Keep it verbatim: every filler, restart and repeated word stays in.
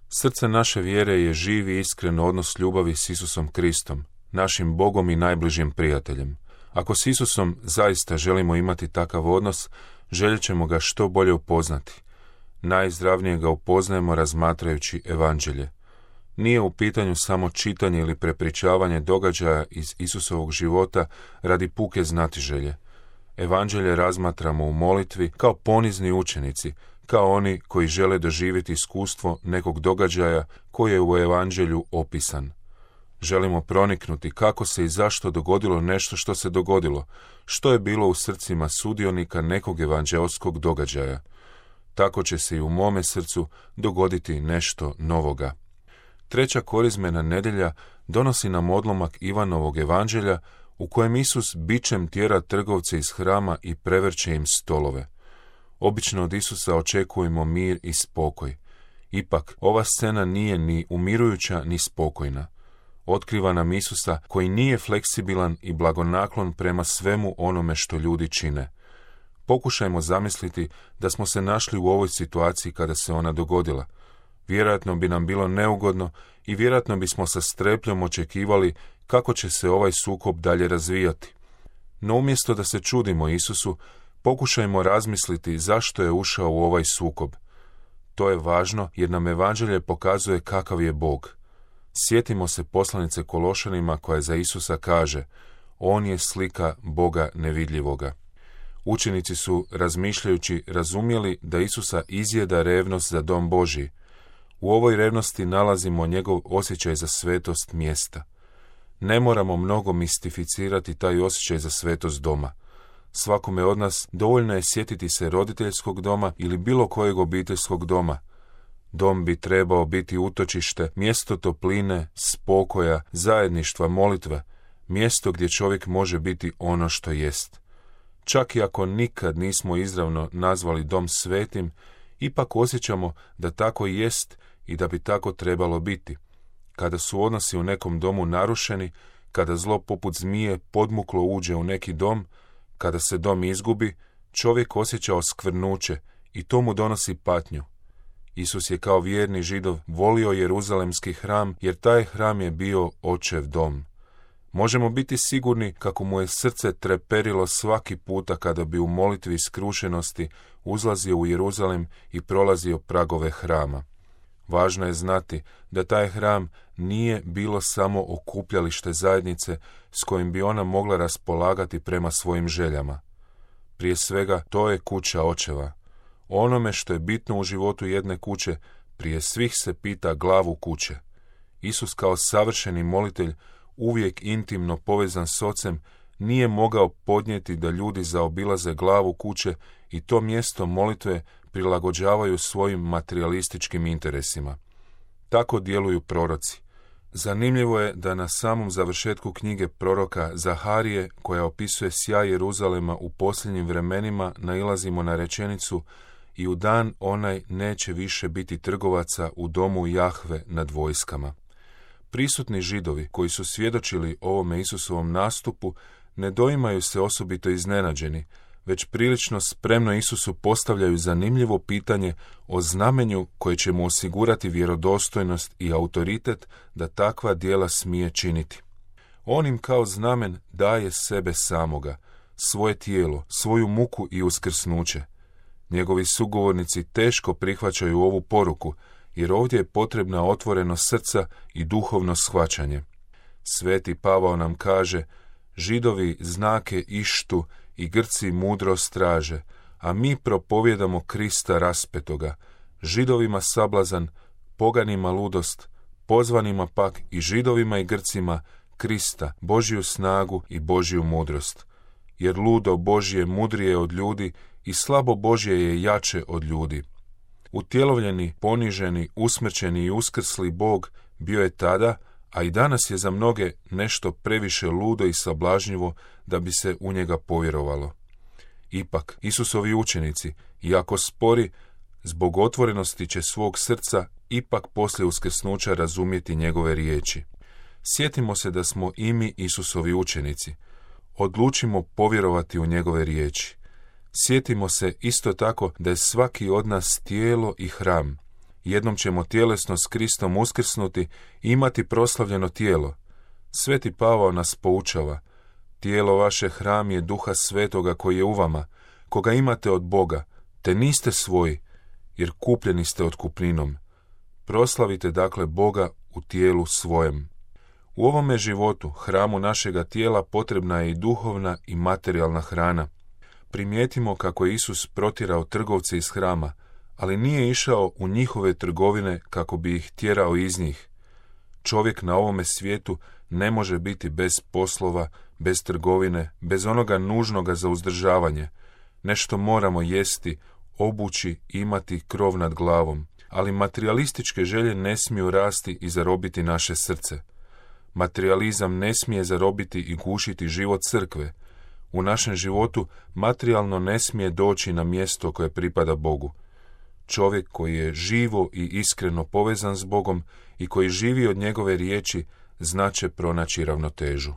Srce naše vjere je živ i iskren odnos ljubavi s Isusom Kristom, našim Bogom i najbližim prijateljem. Ako s Isusom zaista želimo imati takav odnos, željet ćemo ga što bolje upoznati. Najizravnije ga upoznajemo razmatrajući evanđelje. Nije u pitanju samo čitanje ili prepričavanje događaja iz Isusovog života radi puke znatiželje. Evanđelje razmatramo u molitvi kao ponizni učenici, kao oni koji žele doživjeti iskustvo nekog događaja koji je u evanđelju opisan. Želimo proniknuti kako se i zašto dogodilo nešto što se dogodilo, što je bilo u srcima sudionika nekog evanđelskog događaja. Tako će se i u mome srcu dogoditi nešto novoga. Treća korizmena nedjelja donosi nam odlomak Ivanovog evanđelja u kojem Isus bičem tjera trgovce iz hrama i prevrće im stolove. Obično od Isusa očekujemo mir i spokoj. Ipak, ova scena nije ni umirujuća ni spokojna. Otkriva nam Isusa koji nije fleksibilan i blagonaklon prema svemu onome što ljudi čine. Pokušajmo zamisliti da smo se našli u ovoj situaciji kada se ona dogodila. Vjerojatno bi nam bilo neugodno i vjerojatno bismo sa strepljom očekivali kako će se ovaj sukob dalje razvijati. No umjesto da se čudimo Isusu, pokušajmo razmisliti zašto je ušao u ovaj sukob. To je važno jer nam evanđelje pokazuje kakav je Bog. Sjetimo se poslanice Kološanima koja za Isusa kaže: On je slika Boga nevidljivoga. Učenici su, razmišljajući, razumjeli da Isusa izjeda revnost za dom Božji. U ovoj revnosti nalazimo njegov osjećaj za svetost mjesta. Ne moramo mnogo mistificirati taj osjećaj za svetost doma. Svakome od nas dovoljno je sjetiti se roditeljskog doma ili bilo kojeg obiteljskog doma. Dom bi trebao biti utočište, mjesto topline, spokoja, zajedništva, molitve, mjesto gdje čovjek može biti ono što jest. Čak i ako nikad nismo izravno nazvali dom svetim, ipak osjećamo da tako i jest i da bi tako trebalo biti. Kada su odnosi u nekom domu narušeni, kada zlo poput zmije podmuklo uđe u neki dom, kada se dom izgubi, čovjek osjeća oskvrnuće i to mu donosi patnju. Isus je kao vjerni Židov volio Jeruzalemski hram jer taj hram je bio očev dom. Možemo biti sigurni kako mu je srce treperilo svaki puta kada bi u molitvi skrušenosti uzlazio u Jeruzalem i prolazio pragove hrama. Važno je znati da taj hram nije bilo samo okupljalište zajednice s kojim bi ona mogla raspolagati prema svojim željama. Prije svega, to je kuća očeva. Onome što je bitno u životu jedne kuće, prije svih se pita glavu kuće. Isus kao savršeni molitelj, uvijek intimno povezan s Ocem, nije mogao podnijeti da ljudi zaobilaze glavu kuće i to mjesto molitve prilagođavaju svojim materijalističkim interesima. Tako djeluju proroci. Zanimljivo je da na samom završetku knjige proroka Zaharije, koja opisuje sjaj Jeruzalema u posljednjim vremenima, nailazimo na rečenicu: i u dan onaj neće više biti trgovaca u domu Jahve nad vojskama. Prisutni Židovi koji su svjedočili ovome Isusovom nastupu ne doimaju se osobito iznenađeni, već prilično spremno Isusu postavljaju zanimljivo pitanje o znamenju koje će mu osigurati vjerodostojnost i autoritet da takva djela smije činiti. On im kao znamen daje sebe samoga, svoje tijelo, svoju muku i uskrsnuće. Njegovi sugovornici teško prihvaćaju ovu poruku, jer ovdje je potrebna otvorenost srca i duhovno shvaćanje. Sveti Pavao nam kaže: Židovi znake ištu i Grci mudrost traže, a mi propovjedamo Krista raspetoga, Židovima sablazan, poganima ludost, pozvanima pak i Židovima i Grcima Krista, Božju snagu i Božju mudrost. Jer ludo Božje mudrije od ljudi i slabo Božje je jače od ljudi. Utjelovljeni, poniženi, usmrćeni i uskrsli Bog bio je tada, a i danas je za mnoge nešto previše ludo i sablažnjivo da bi se u njega povjerovalo. Ipak, Isusovi učenici, iako spori, zbog otvorenosti će svog srca ipak poslije uskrsnuća razumjeti njegove riječi. Sjetimo se da smo i mi Isusovi učenici. Odlučimo povjerovati u njegove riječi. Sjetimo se isto tako da je svaki od nas tijelo i hram. Jednom ćemo tjelesno s Kristom uskrsnuti i imati proslavljeno tijelo. Sveti Pavao nas poučava: tijelo vaše hram je Duha Svetoga koji je u vama, koga imate od Boga, te niste svoji, jer kupljeni ste otkupninom. Proslavite dakle Boga u tijelu svojem. U ovome životu, hramu našega tijela, potrebna je i duhovna i materijalna hrana. Primijetimo kako je Isus protjerao trgovce iz hrama, ali nije išao u njihove trgovine kako bi ih tjerao iz njih. Čovjek na ovome svijetu ne može biti bez poslova, bez trgovine, bez onoga nužnoga za uzdržavanje. Nešto moramo jesti, obući, imati krov nad glavom, ali materialističke želje ne smiju rasti i zarobiti naše srce. Materializam ne smije zarobiti i gušiti život crkve. U našem životu materijalno ne smije doći na mjesto koje pripada Bogu. Čovjek koji je živo i iskreno povezan s Bogom i koji živi od njegove riječi, znaće pronaći ravnotežu.